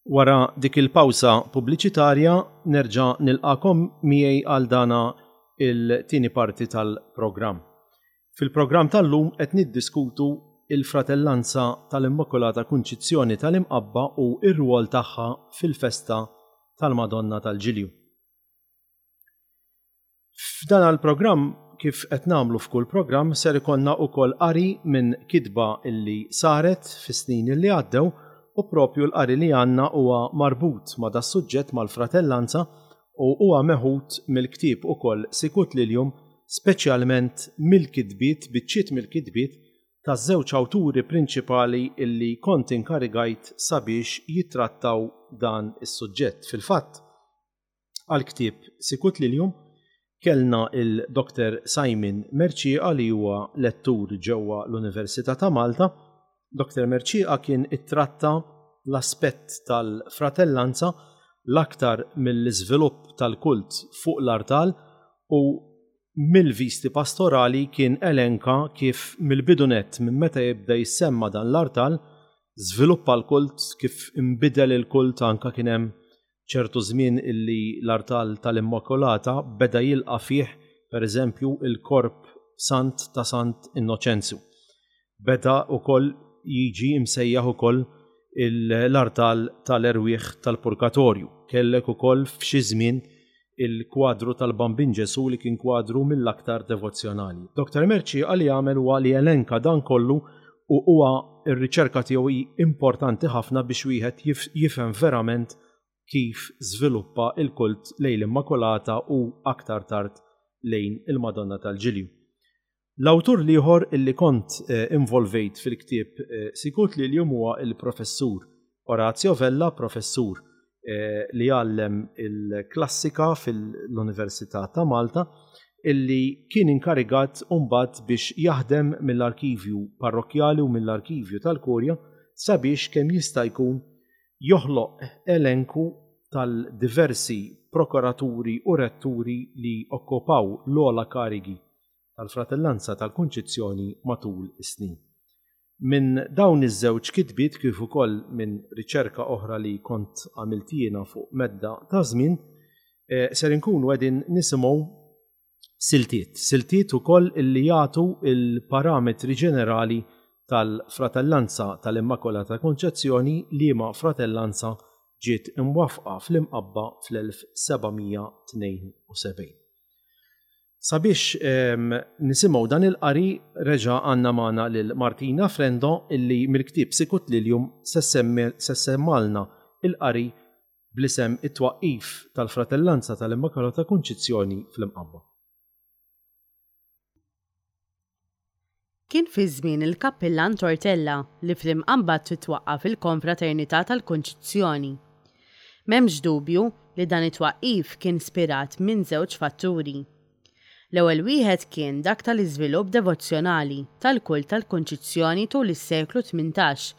Wara dik il-pawsa pubbliċitarja nerġa' nilqagħkom miegħi għal dana il-tieni parti tal-programm. Fil-programm tal-lum qed niddiskutu il-Fratellanza tal-Immakulata Kunċizzjoni tal-Imqabba u r-rwol tagħha fil-festa tal-Madonna tal-Ġilju. F'dan il-programm, kif qed nagħmlu f'kull programm, ser ikollna wkoll qari minn kitba illi saret fis-snin illi għaddew u propju l-qari li għandna huwa marbut ma' das-suġġett mal-fratellanza u huwa meħud mill-ktieb ukoll Sicut Lilium speċjalment mill-kitbiet, biċċiet mill-kitbiet taż-żewġ awturi prinċipali illi kont inkarigajt sabiex jittrattaw dan is-suġġett. Fil-fatt, Għall-ktieb Sicut Lilium kellna il-Dr Simon Mercieca li huwa lettur ġewwa l-Università ta' Malta. Dr Mercieca kien ittratta l-aspett tal-fratellanza l-aktar mill-iżvilupp tal-kult fuq l-artal u mill-visti pastorali kien elenka kif mill-bidu nett minn meta jibda jissemma dan l-artal żviluppa l-kult, kif inbidel il-kult anke kien hemm ċertu żmien illi l-artal tal-Immakulata beda jilqa' fih, per eżempju, il-korp sant ta' Sant Innoċenzju. Beda wkoll jiġi msejjaħ ukoll l-artal tal-erwieħ tal-Purgatorju. Kellek ukoll f'xi żmien il-kwadru tal-Bambin Ġesù li kien kwadru mill-aktar devozzjonali. Dr. Mercieca li għamel huwa li elenka dan kollu u huwa r-riċerka tiegħu hi importanti ħafna biex wieħed jifhem verament kif żviluppa l-kult lejn l-Immakulata u aktar tard lejn il-Madonna tal-Ġilju. L-awtur l-ieħor illi kont involvejt fil-ktieb Sicut Lilium huwa l-Professur Orazio Vella, professur li jgħallem il-klassika fil-Università ta' Malta, illi kien inkarigat mbagħad biex jaħdem mill-arkivju parrokkjali u mill-arkivju tal-Kurja sabiex kemm jista' jkun joħloq elenku tal-diversi prokuraturi u retturi li okkupaw l-ogħla karigi tal-Fratellanza tal-Kunċizzjoni matul is-snin. Minn dawn iż-żewġ kitbiet kif ukoll minn riċerka oħra li kont għamilt jiena fuq medda ta' żmien, ser inkunu qegħdin nisimgħu siltiet, siltiet ukoll illi jagħtu l-parametri ġenerali tal-Fratellanza tal-Immakulata Konċezzjoni liema fratellanza ġiet imwaffqa fl-Imqabba fl-1772. Sabiex nisimgħu dan il-qari reġa' għandna magħna lil Martina Frendo illi mill-ktieb Sicut Lilium se ssemmalna il-qari bl-isem It-Twaqqif tal-Fratellanza tal-Immakulata Kunċizzjoni fl-Imqabba. Kien fi żmien il-Kappillan Tortella li fl-Imqabba titwaqqaf il-Konfraternità tal-Kunċizzjoni. M'hemmx dubju li dan it-twaqqif kien spirat minn żewġ fatturi. L-ewwel wieħed kien dak tal-iżvilupp devozzjonali tal-kult tal-Kunċizzjoni tul is-seklu 18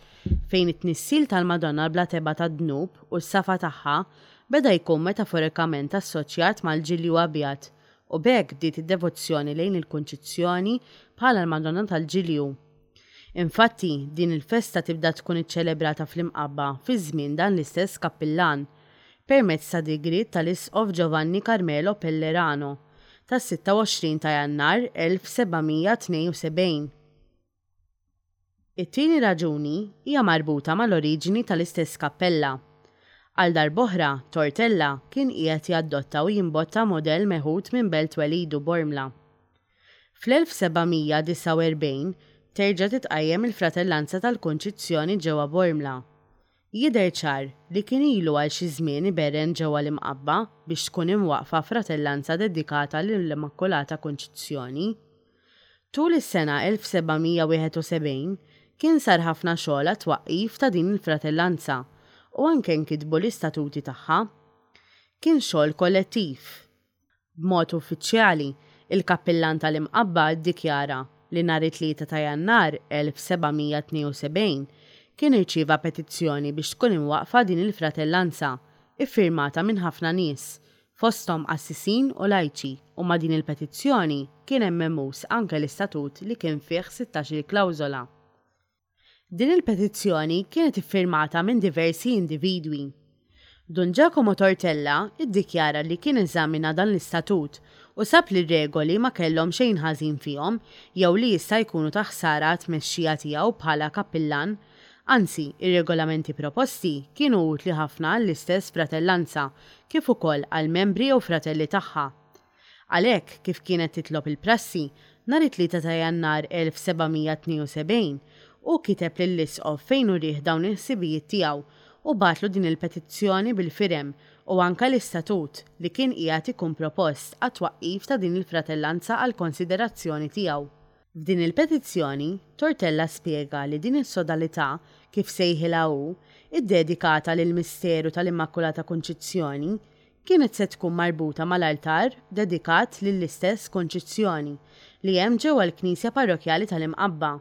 fejn it-tnissil tal-Madonna bla tebgħa tad-dnub u s-safa tagħha beda jkun metaforikament assoċjat mal-Ġilju Abjad u b'hekk bdiet id-devozzjoni lejn il-Kunċizzjoni bħala l-Madonna tal-Ġilju. Infatti, din il-festa tibda tkun iċċelebrata fl-Imqabba fi żmien dan l-istess kappillan, permezz ta' digriet tal-Isqof Giovanni Carmelo Pellerano tas-26 ta' Jannar 1772. It-tieni raġuni hija marbuta mal-oriġini tal-istess kappella. Għal darb'oħra, Tortella kien qiegħed jaddotta u jimbotta mudell meħud minn belt twelidu Bormla. Fl-1749 terġa' titqajjem il-Fratellanza tal-Kunċizzjoni ġewwa Bormla. Jidher ċar li kien ilu għal xi żmien iberren ġewwa l-Imqabba biex tkun imwaqqfa fratellanza dedikata lill-Immakulata Kunċizzjoni. Tul is-sena 1771 kien sar ħafna xogħol għat-twaqqif ta' din il-fratellanza u anke nkitbu l-istatuti tagħha. Kien xogħol kollettiv. B'mod uffiċjali, il-Kappillan tal-Imqabba ddikjara li nhar it-Tlieta ta' Jannar 1772 kien irċieva petizzjoni biex tkun imwaqqfa din il-fratellanza, iffirmata minn ħafna nies, fosthom qassisin u lajċi u ma' din il-petizzjoni kien hemm mehmuż anke l-istatut li kien fih sittax-il klawżola. Din il-petizzjoni kienet iffirmata minn diversi individwi. Dun Giacomo Tortella ddikjara li kien eżamina dan l-istatut u sab li r-regoli ma kellhom xejn ħażin fihom jew li jista' jkunu ta' ħsara għat-tmexxija tiegħu bħala kappillan. Anzi, ir-regolamenti proposti kienu utli ħafna għall-istess fratellanza kif ukoll għall-membri jew fratelli tagħha. Għalhekk, kif kienet titlob il-prassi, nhar it-Tlieta ta' Jannar 1772, hu kiteb lill-Isqof fejn urieh dawn il-ħsibijiet tiegħu u bagħatlu din il-petizzjoni bil-firem u anke l-istatut li kien qiegħed ikun propost għat-twaqqif ta' din il-fratellanza għall-konsiderazzjoni tiegħu. F'din il-petizzjoni, Tortella spjega li din is-sodalità, kif sejħilha hu, iddedikata lill-misteru tal-Immakulata Kunċizzjoni, kienet se tkun marbuta mal-altar dedikat lill-istess Kunċizzjoni li hemm ġewwa l-Knisja Parrokkjali tal-Imqabba.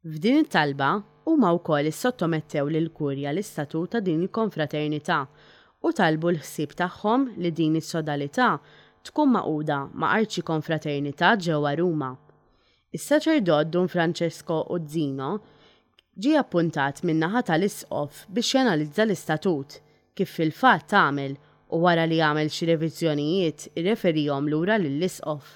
F'din it-talba, huma wkoll issottomettew lill-Kurja l-istatut ta' din il-Konfraternità u talbu l-ħsieb tagħhom li din is-sodalità tkun magħquda ma' Arċikonfraternità ġewwa Ruma. Is-saċerdot Dun Francesco Uzzino ġie appuntat min-naħa tal-Isqof biex janalizza l-istatut, kif fil-fatt għamel u wara li għamel xi reviżjonijiet irreferihom lura lill-Isqof.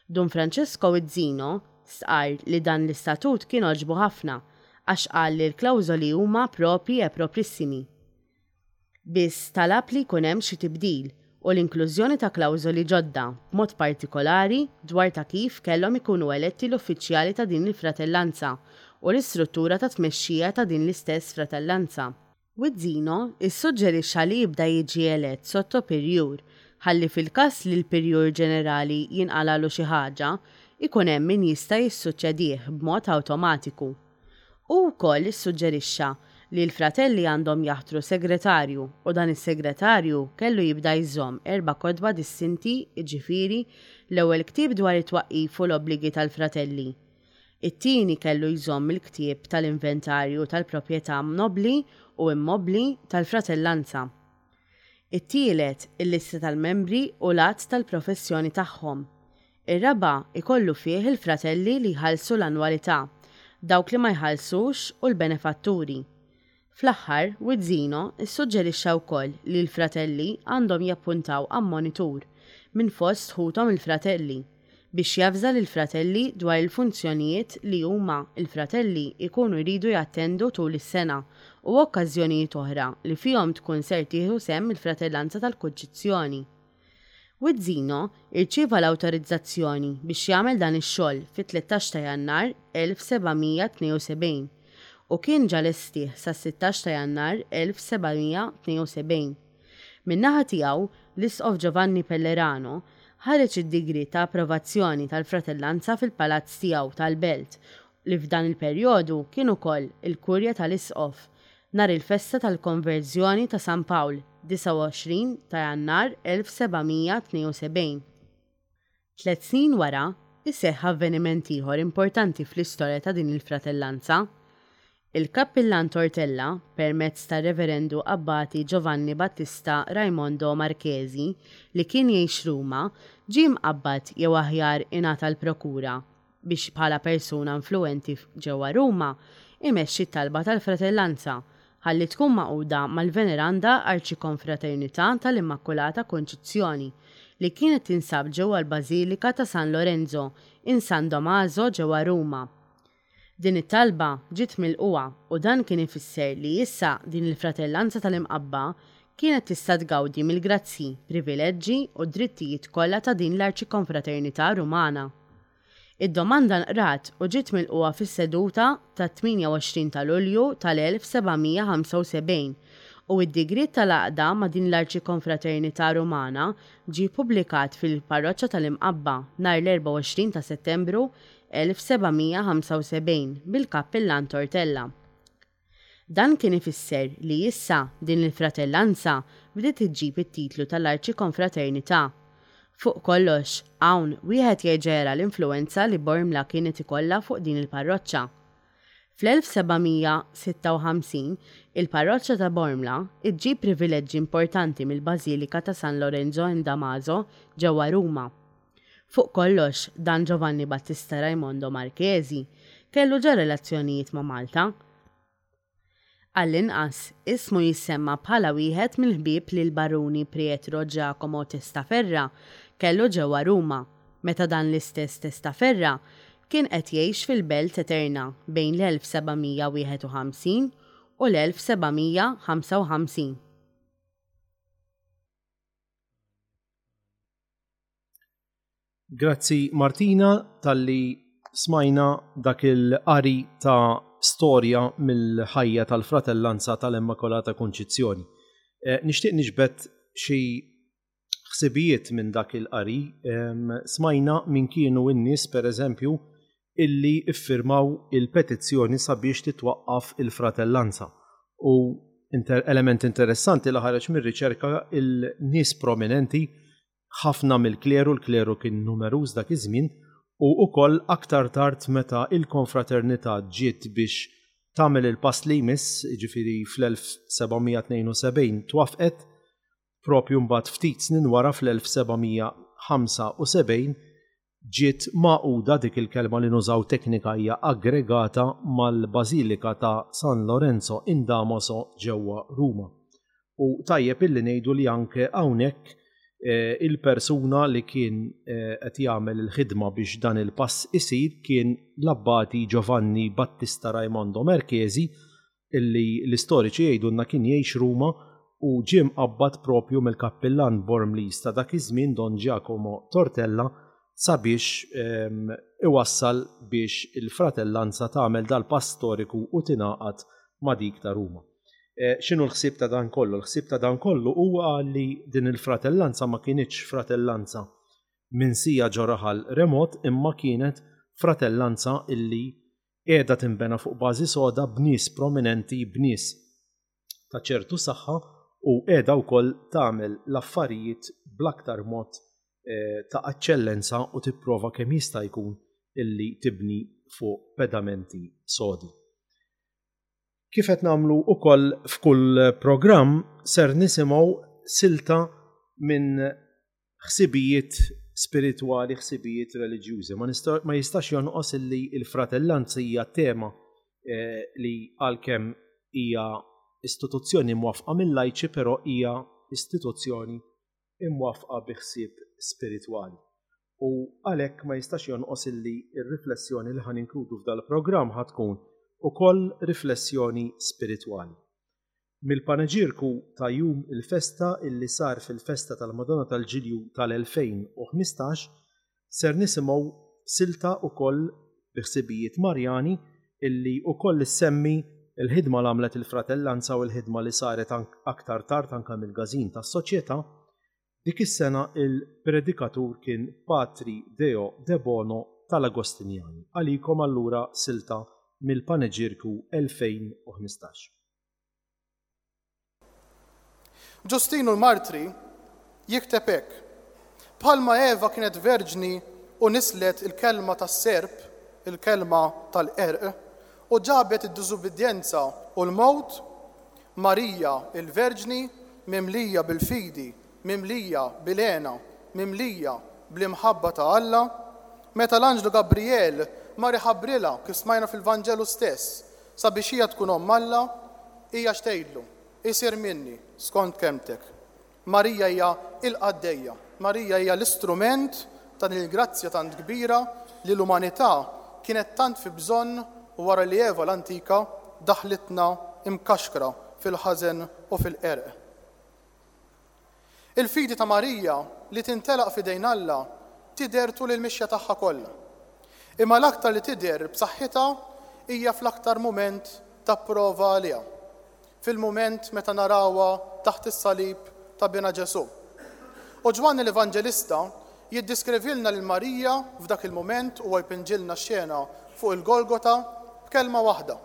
Dun Francesco Uzzino stqarr li dan l-istatut kien għoġbu ħafna għax qal li l-klawżoli huma propri e proprissimi. Biss talab li jkun hemm xi tibdil u l-inklużjoni ta' klawżoli ġodda, b'mod partikolari dwar ta' kif kellhom ikunu eletti l-uffiċjali ta' din il-fratellanza u l-istruttura ta' tmexxija ta' din l-istess fratellanza. Wizzino issuġġerixxa li jibda jiġi elett sotto-pirjur ħalli fil-każ li l-pirjur ġenerali jinqalagħlu xi ħaġa, ikun hemm min jista' jissuċċedih b'mod awtomatiku. Hu wkoll issuġġerixxa li l-fratelli għandhom jaħtru segretarju u dan is-segretarju kellu jibda jżomm erba' kotba distinti jiġifieri l-ewwel ktieb dwar it-twaqqif u l-obbligi tal-fratelli. It-tieni kellu jżomm il-ktieb tal-inventarju tal-proprjetà nobbli u immobbli tal-fratellanza. It-tielet, il-lista tal-membri u l-għadd tal-professjoni tagħhom. Ir-raba' ikollu fih il-fratelli li jħallsu l-annwalità, dawk li ma jħallsux u l-benefatturi. Fl-aħħar, Wizzino ssuġġerixxa wkoll li l-fratelli għandhom jappuntaw ammonitur minn fost ħuthom il-fratelli biex javża lill-fratelli dwar il-funzjonijiet li huma, il-fratelli, jkunu jridu jattendu tul is-sena u okkażjonijiet oħra li fihom tkun ser tieħu sehem il-Fratellanza tal-Kunċizzjoni. Wizzino irċieva l-awtorizzazzjoni biex jagħmel dan ix-xogħol fit-13 ta' Jannar 1772 u kien ġa lestih sas-16 ta' Jannar 1772. Min-naħa tiegħu, l-Isqof Giovanni Pellerano ħareġ id-digriet ta' approvazzjoni tal-fratellanza fil-palazz tiegħu tal-Belt li f'dan il-perjodu kien ukoll il-kurja tal-Isqof, nhar il-festa tal-Konverżjoni ta' San Pawl, 29 ta' Jannar 1772. Tliet snin wara, iseħħ avveniment ieħor importanti fl-istorja ta' din il-fratellanza. Il-Kappillan Tortella, permezz tar-Reverendu Abbati Giovanni Battista Raimondo Marchesi, li kien jgħix Ruma, ġie mqabbad jew aħjar ingħata l-prokura biex bħala persuna influwenti ġewwa Ruma imexxi t-talba tal-fratellanza ħalli tkun magħquda mal-Veneranda Arċikonfraternità tal-Immakulata Kunċizzjoni li kienet tinsab ġewwa l-Bażilika ta' San Lorenzo in San Domaso ġewwa Ruma. Din it-talba ġiet milqugħa u dan kien ifisser li issa din il-Fratellanza tal-Imqabba kienet tista' tgawdi mill-grazzji, privileġġi u d-drittijiet kollha ta' din l-Arċikonfraternità Rumana. Id-domanda nqrat u ġiet milqugħa fis-seduta tat-28 ta' Lulju tal-1775 u d-digriet tal-għaqda ma' din l-Arċikonfraternità Rumana ġie ppubblikat fil-Parroċċa tal-Imqabba nhar l-24 ta' Settembru 1775 mill-Kappillan Tortella. Dan kien ifisser li issa din il-fratellanza bdiet iġġib it-titlu tal-Arċikonfraternità. Fuq kollox, hawn wieħed jerġa' jara l-influwenza li Bormla kienet ikollha fuq din il-parroċċa. Fl-1756, il-parroċċa ta' Bormla ġġib privileġġi importanti mill-Bażilika ta' San Lorenzo in Damaso ġewwa Ruma. Fuq kollox, dan Giovanni Battista Raimondo Marchesi. kellu ġa relazzjonijiet ma' Malta. Għall-inqas, ismu jissemma bħala wieħed mill-ħbieb li l-Baruni Prietro Giacomo Testaferra kellu ġewwa Ruma, meta dan l-istess Testaferra kien qed jgħix fil-Belt Eterna bejn l-1751 u l-1755. Grazzi Martina talli smajna dak il-qari ta' storja mill-ħajja tal-fratellanza tal-Immakolata Kunċizzjoni. Eh, nixtieq niġbed xi ħsibijiet minn dak il-qari. Smajna min kienu n-nies pereżempju illi iffirmaw il-petizzjoni sabiex titwaqqaf il-fratellanza. U inter element interessanti li ħareġ mir-riċerka il-nies prominenti ħafna mill-kleru, l-kleru kien numeruż dak iż-żmien, u wkoll aktar tard meta il-konfraternità ġiet biex tagħmel il-pass li jmiss, jiġifieri fl-1772 twaffqet, propju mbagħad ftit snin wara fl-1775 ġiet magħquda, dik il-kelma li nużaw teknika hija aggregata, mal-Bażilika ta' San Lorenzo in Damaso ġewwa Ruma. U tajjeb illi ngħidu li anke hawnhekk il-persuna li kien qed jagħmel il-ħidma biex dan il-pass isir kien l-Abbati Giovanni Battista Raimondo Merchesi illi l-istoriċi jgħidulna kien jgħix Ruma u ġie mqabbad propju mill-kappillan Bormliż ta' dak iż-żmien Don Giacomo Tortella sabiex iwassal biex il-fratellanza tagħmel dal-pass storiku u tingħaqad ma' dik ta' Ruma. X'inhu l-ħsieb ta' dan kollu? L-ħsieb ta' dan kollu huwa li din il-fratellanza ma kinitx fratellanza minsija ġo raħal remot imma kienet fratellanza illi qiegħda tinbena fuq bażi soda b'nies prominenti, b'nies ta' ċertu saħħa u qiegħda wkoll tagħmel l-affarijiet bl-aktar mod ta' eċċellenza u tipprova kemm jista' jkun illi tibni fuq pedamenti sodi. Kif qed nagħmlu wkoll f'kull programm ser nisimgħu silta minn ħsibijiet spiritwali, ħsibijiet reliġjużi. Ma, ma jistax jonqos illi il-fratellanza hija tema eh, li għalkemm hija istituzzjoni mwafqa mill-lajċi, però hija istituzzjoni imwafqa bi ħsieb spiritwali. U għalhekk ma jistax jonqos illi r-riflessjoni li ħan inkludu f'dal-programm ħa tkun ukoll riflessjoni spiritwali. Mill-paneġierku ta' jum il-festa illi sar fil-festa tal-Madonna tal-Ġilju tal-2015 ser nisimgħu silta ukoll bi ħsibijiet Marjani illi ukoll issemmi l-ħidma l għamlet il-Fratellanza u l-ħidma li saret aktar tard anke mill-Każin tas-Soċjetà. Dik is-sena il-predikatur kien Patri Deo Debono tal-Agostinjani. Għalikom allura silta mill-Paneġierku 2015. Ġustinu l-Martri jikteb hekk, Bħalma Eva kienet verġni u nislet il-kelma tas-serp, il-kelma tal-qerq, u ġabet id-diżubbidjenza u l-mewt, Marija l-Verġni, mimlija bil-fidi, mimlija bil-hena, mimlija bl-imħabba ta' Alla, meta l-anġlu Gabrijel mar iħabbrilha, kif smajna fil-Vanġelu stess, Sabiex hija tkun Omm Alla, hija x'tgħidlu? Isir minni skont kelmtek. Marija hija l-qaddejja. Marija hija l-istrument ta' din il-grazzja tant kbira li l-umanità kienet tant fi bżonn wara li Eva l-antika daħlitna mkaxkra fil-ħażen u fil-qerq. Il-fidi ta' Marija li tintelaq f'idejn Alla tidher tul il-mixja tagħha kollha. Imma l-aktar li tidher b'saħħitha hija fl-aktar mument ta' prova għaliha, fil-mument meta narawha taħt is-salib ta' Binha Ġesù. U Ġwanni l-Evanġelista jiddiskrivilna lil Marija f'dak il-mument, huwa jpinġilna x-xena fuq il-Golgota b'kelma waħda,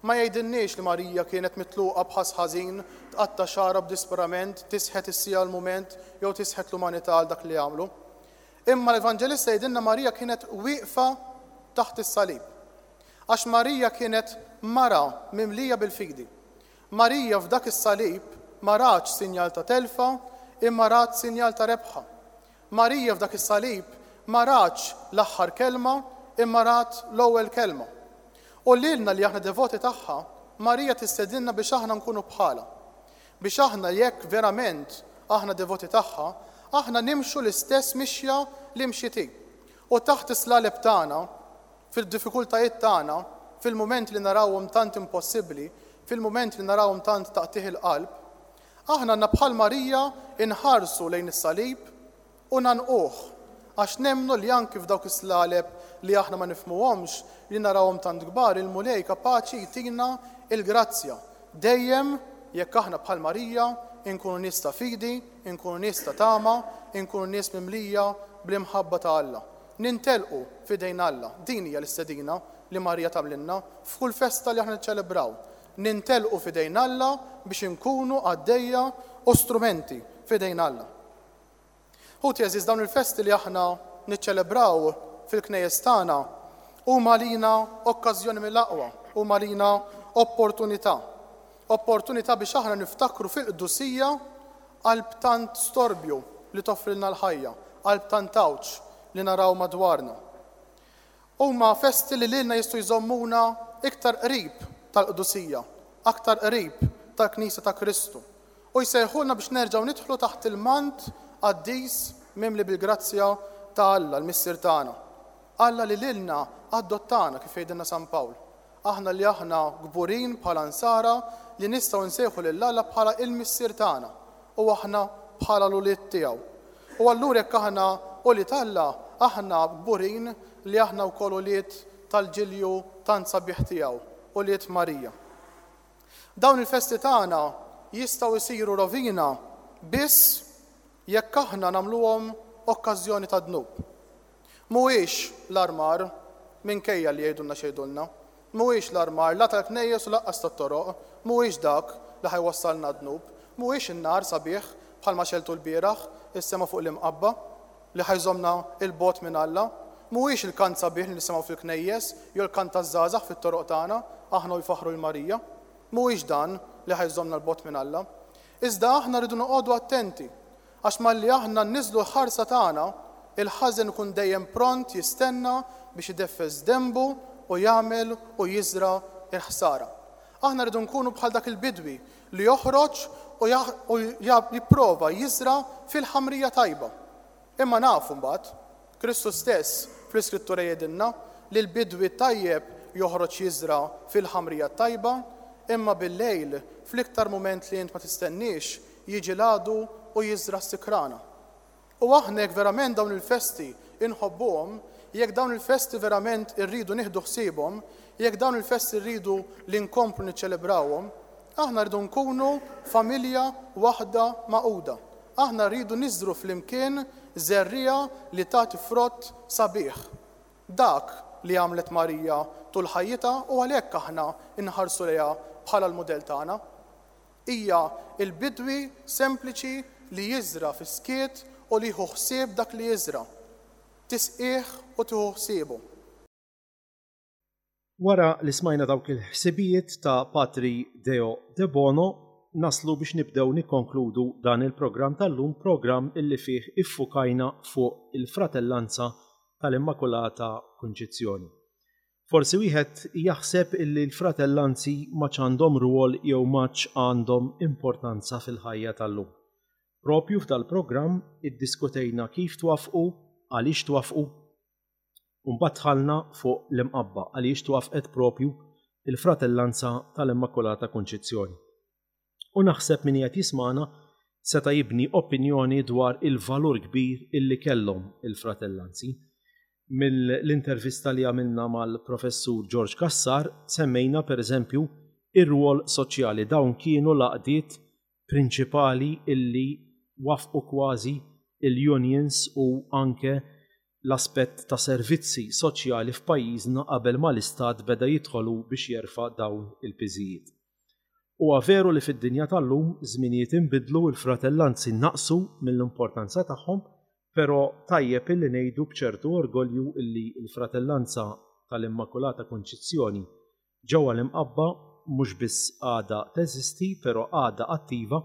Ma jgħidilniex li Marija kienet mitluqa b'ħass ħażin, tqatta' xagħarha b'disprament, tisħet is-siegħa l-mument jew tisħet l-umanità għal dak li għamlu. Imma l-Evanġelista jgħidilna Marija kienet wieqfa taħt is-salib. Għax Marija kienet mara mimlija bil-fidi. Marija f'dak is-salib ma ratx sinjal ta' telfa imma rat sinjal ta' rebħa. Marija f'dak is-salib ma ratx l-aħħar kelma imma rat l-ewwel kelma. U lilna li aħna devoti tagħha, Marija tistedinna biex aħna nkunu bħalha. Biex aħna jekk verament aħna devoti tagħha, aħna nimxu l-istess mixja li mxiet hi. U taħt is-slaleb tagħna, fil-diffikultajiet tagħna, fil-mumenti li narawhom tant impossibbli, fil-mumenti li narawhom tant ta' qtigħ il-qalb, aħna għandna bħal Marija nħarsu lejn is-salib u ngħannquh, għax nemmnu li anki f'dawk is-slaleb li aħna ma nifhmuhomx, li narawhom tant kbar, il-Mulej kapaċi jtina l-grazzja, dejjem jekk aħna bħal Marija nkunu nies ta' fidi, inkunu nies ta' tama, inkunu nies mimlija bl-imħabba ta' Alla. Nintelqu f'idejn Alla. Din hija l-istedina li Marija tagħmlilna f'kull festa li aħna niċċelebraw. Nintelqu f'idejn Alla biex inkunu qaddejja u strumenti f'idejn Alla. Ħuti għeżież, dawn il-festi li aħna niċċelebraw fil-knejjes tagħna huma għalina okkażjoni mill-aqwa, huma għalina opportunità. Opportunità biex aħna niftakru fil-qdusija qalb tant storbju li toffrilna l-ħajja, qalb tant għawġ li naraw madwarna. Huma festi li lilna jistgħu jżommuna iktar qrib tal-qdusija, aktar qrib tal-Knisja ta' Kristu, u jsejħulna biex nerġgħu nidħlu taħt il-mant qaddis mimli bil-grazzja ta' Alla l-Missier tagħna. Alla li lilna adottana, kif jgħidilna San Pawl. Aħna li aħna kburin bħala Nsara li nistgħu nsejħu lil Alla bħala il-Missier tagħna u aħna bħala l-ulied tiegħu. U allura jekk aħna ulied Alla, aħna kburin li aħna wkoll ulied tal-ġilju tant sabiħ tiegħu, ulied Marija. Dawn il-festi tagħna jistgħu jsiru rovina biss jekk aħna nagħmluhom okkażjoni ta' dnub. Mhuwiex l-armar, minkejja li jgħidulna x'jgħidulna, mhuwiex l-armar la tal-knejjes u lanqas tat-toroq, mhuwiex dak li ħa jwassalna għad-dnub, mhuwiex in-nar sabiħ bħalma xegħltu lbieraħ is-sema fuq l-Imqabba li ħa jżommna 'l bogħod minn Alla, mhuwiex il-kant sabiħ li nisimgħu fil-knejjes jew il-kant taż-żgħażagħ fit-toroq tagħna aħna u jfaħħru 'l Marija. Mhuwiex dan li ħa jżommna 'l bogħod minn Alla. Iżda aħna rridu noqogħdu attenti Għax malli aħna nniżżlu l-ħarsa tagħna, il-ħażen ikun dejjem pront jistenna biex ideffes denbu u jagħmel u jiżra' l-ħsara. Aħna rridu nkunu bħal dak il-bidwi li joħroġ u jipprova jiżra' fil-ħamrija tajba. Imma nafu mbagħad, Kristu stess fl-Iskrittura jgħidilna li l-bidwi t-tajjeb joħroġ jiżra' fil-ħamrija t-tajba, imma bil-lejl, fl-iktar mument li int ma tistenniex, jiġi l-għadu u jiżra' s-sikrana. U aħna jekk verament dawn il-festi inħobbuhom, jekk dawn il-festi verament irridu nieħdu ħsiebhom, jekk dawn il-festi rridu li nkomplu niċċelebrawhom, aħna rridu nkunu familja waħda magħquda. Aħna rridu niżru flimkien żerriegħa li tagħti frott sabiħ. Dak li għamlet Marija tul ħajjitha u għalhekk aħna nħarsu lejha bħala l-mudell tagħna. Hija l-bidwi sempliċi li jiżra' fis-skiet u li jieħu ħsieb dak li jiżra'. Tisqih u tieħu ħsiebu. Wara li smajna dawk il-ħsibijiet ta' Patri Deo Debono, naslu biex nibdew nikkonkludu dan il-programm tal-lum, programm illi fih iffukajna fuq il-fratellanza tal-Immakulata Kunċizzjoni. Forsi wieħed jaħseb illi l-fratellanzi m'għadx għandhom rwol jew m'għadx għandhom importanza fil-ħajja tal-lum. Propju f'dal-programm iddiskutejna kif twaffqu, għaliex twaffqu, u mbagħad dħalna fuq l-Imqabba għaliex twaffqet propju l-fratellanza tal-Immakulata Kunċizzjoni. U naħseb min qiegħed jismagħna seta' jibni opinjoni dwar il-valur kbir illi kellhom il-fratellanzi. Mill-intervista li għamilna mal-Professur George Cassar semmejna pereżempju ir-rwol soċjali. Dawn kienu l-għaqdiet prinċipali illi waffqu kważi il-unions u anke l-aspett ta' servizzi soċjali f'pajjiżna qabel ma l-Istat beda jidħol hu biex jerfa' dawn il-piżijiet. Huwa veru li fid-dinja tal-lum żminijiet inbidlu, il-fratellanzi naqsu mill-importanza tagħhom, però tajjeb illi ngħidu b'ċertu orgolju illi l-fratellanza tal-Immakulata Kunċizzjoni ġewwa l-Imqabba mhux biss għadha teżisti però għadha attiva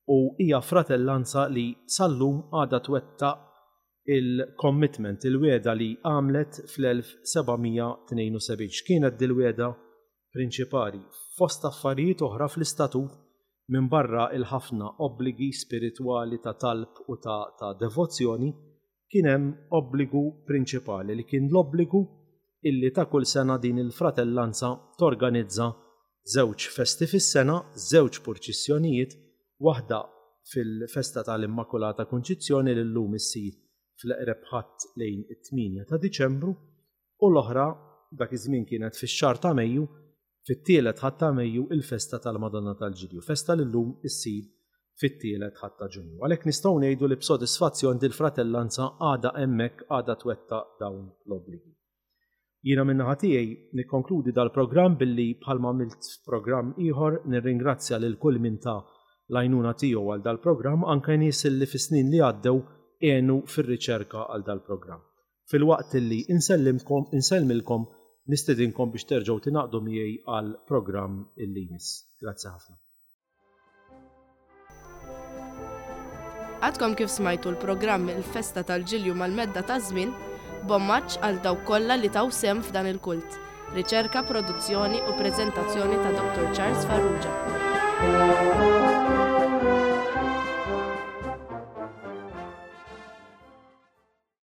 u hija fratellanza li sal-lum għadha twettaq. il-commitment, il-wegħda li għamlet fl-1772. X'kienet dil-wegħda prinċipali? Fost affarijiet oħra fl-istatut minbarra l-ħafna obbligi spiritwali ta' talb u ta' ta' devozzjoni, kien hemm obbligu prinċipali li kien l-obbligu illi ta' kull sena din il-fratellanza torganizza żewġ festi fis-sena, żewġ purċissjonijiet, waħda fil-festa tal-Immakulata Kunċizzjoni li llum issir fl-eqreb Ħadd lejn it-tmienja ta' Diċembru u l-oħra dak iż-żmien kienet fix-xahar ta' Mejju, fit-tielet Ħadd ta' Mejju il-festa tal-Madonna tal-Ġilju, festa li llum issir fit-tielet Ħadd ta' Ġunju. Għalhekk nistgħu ngħidu li b'sodisfazzjon dil-fratellanza għadha hemmhekk għadha twettaq dawn l-obbligi. Jiena min-naħa tiegħi nikkonkludi dal-programm billi bħalma għamilt f'programm ieħor nirringrazzja lil kull min ta l-għajnuna tiegħu għal dal-programm anke nies li fis-snin li għaddew għenu fir-riċerka għal dal-programm. Filwaqt li insellimkom insellmilkom nistedinkom biex terġgħu tingħaqdu miegħi għall-programm illi jmiss. Grazzi ħafna. Għadkom kif smajtu l-programm Il-Festa tal-Ġilju mal-Medda taż-Żmien, b'omaġġ għal dawk kollha li taw sehem f'dan il-kult. Riċerka, produzzjoni u preżentazzjoni ta' Dottor Charles Farrugia.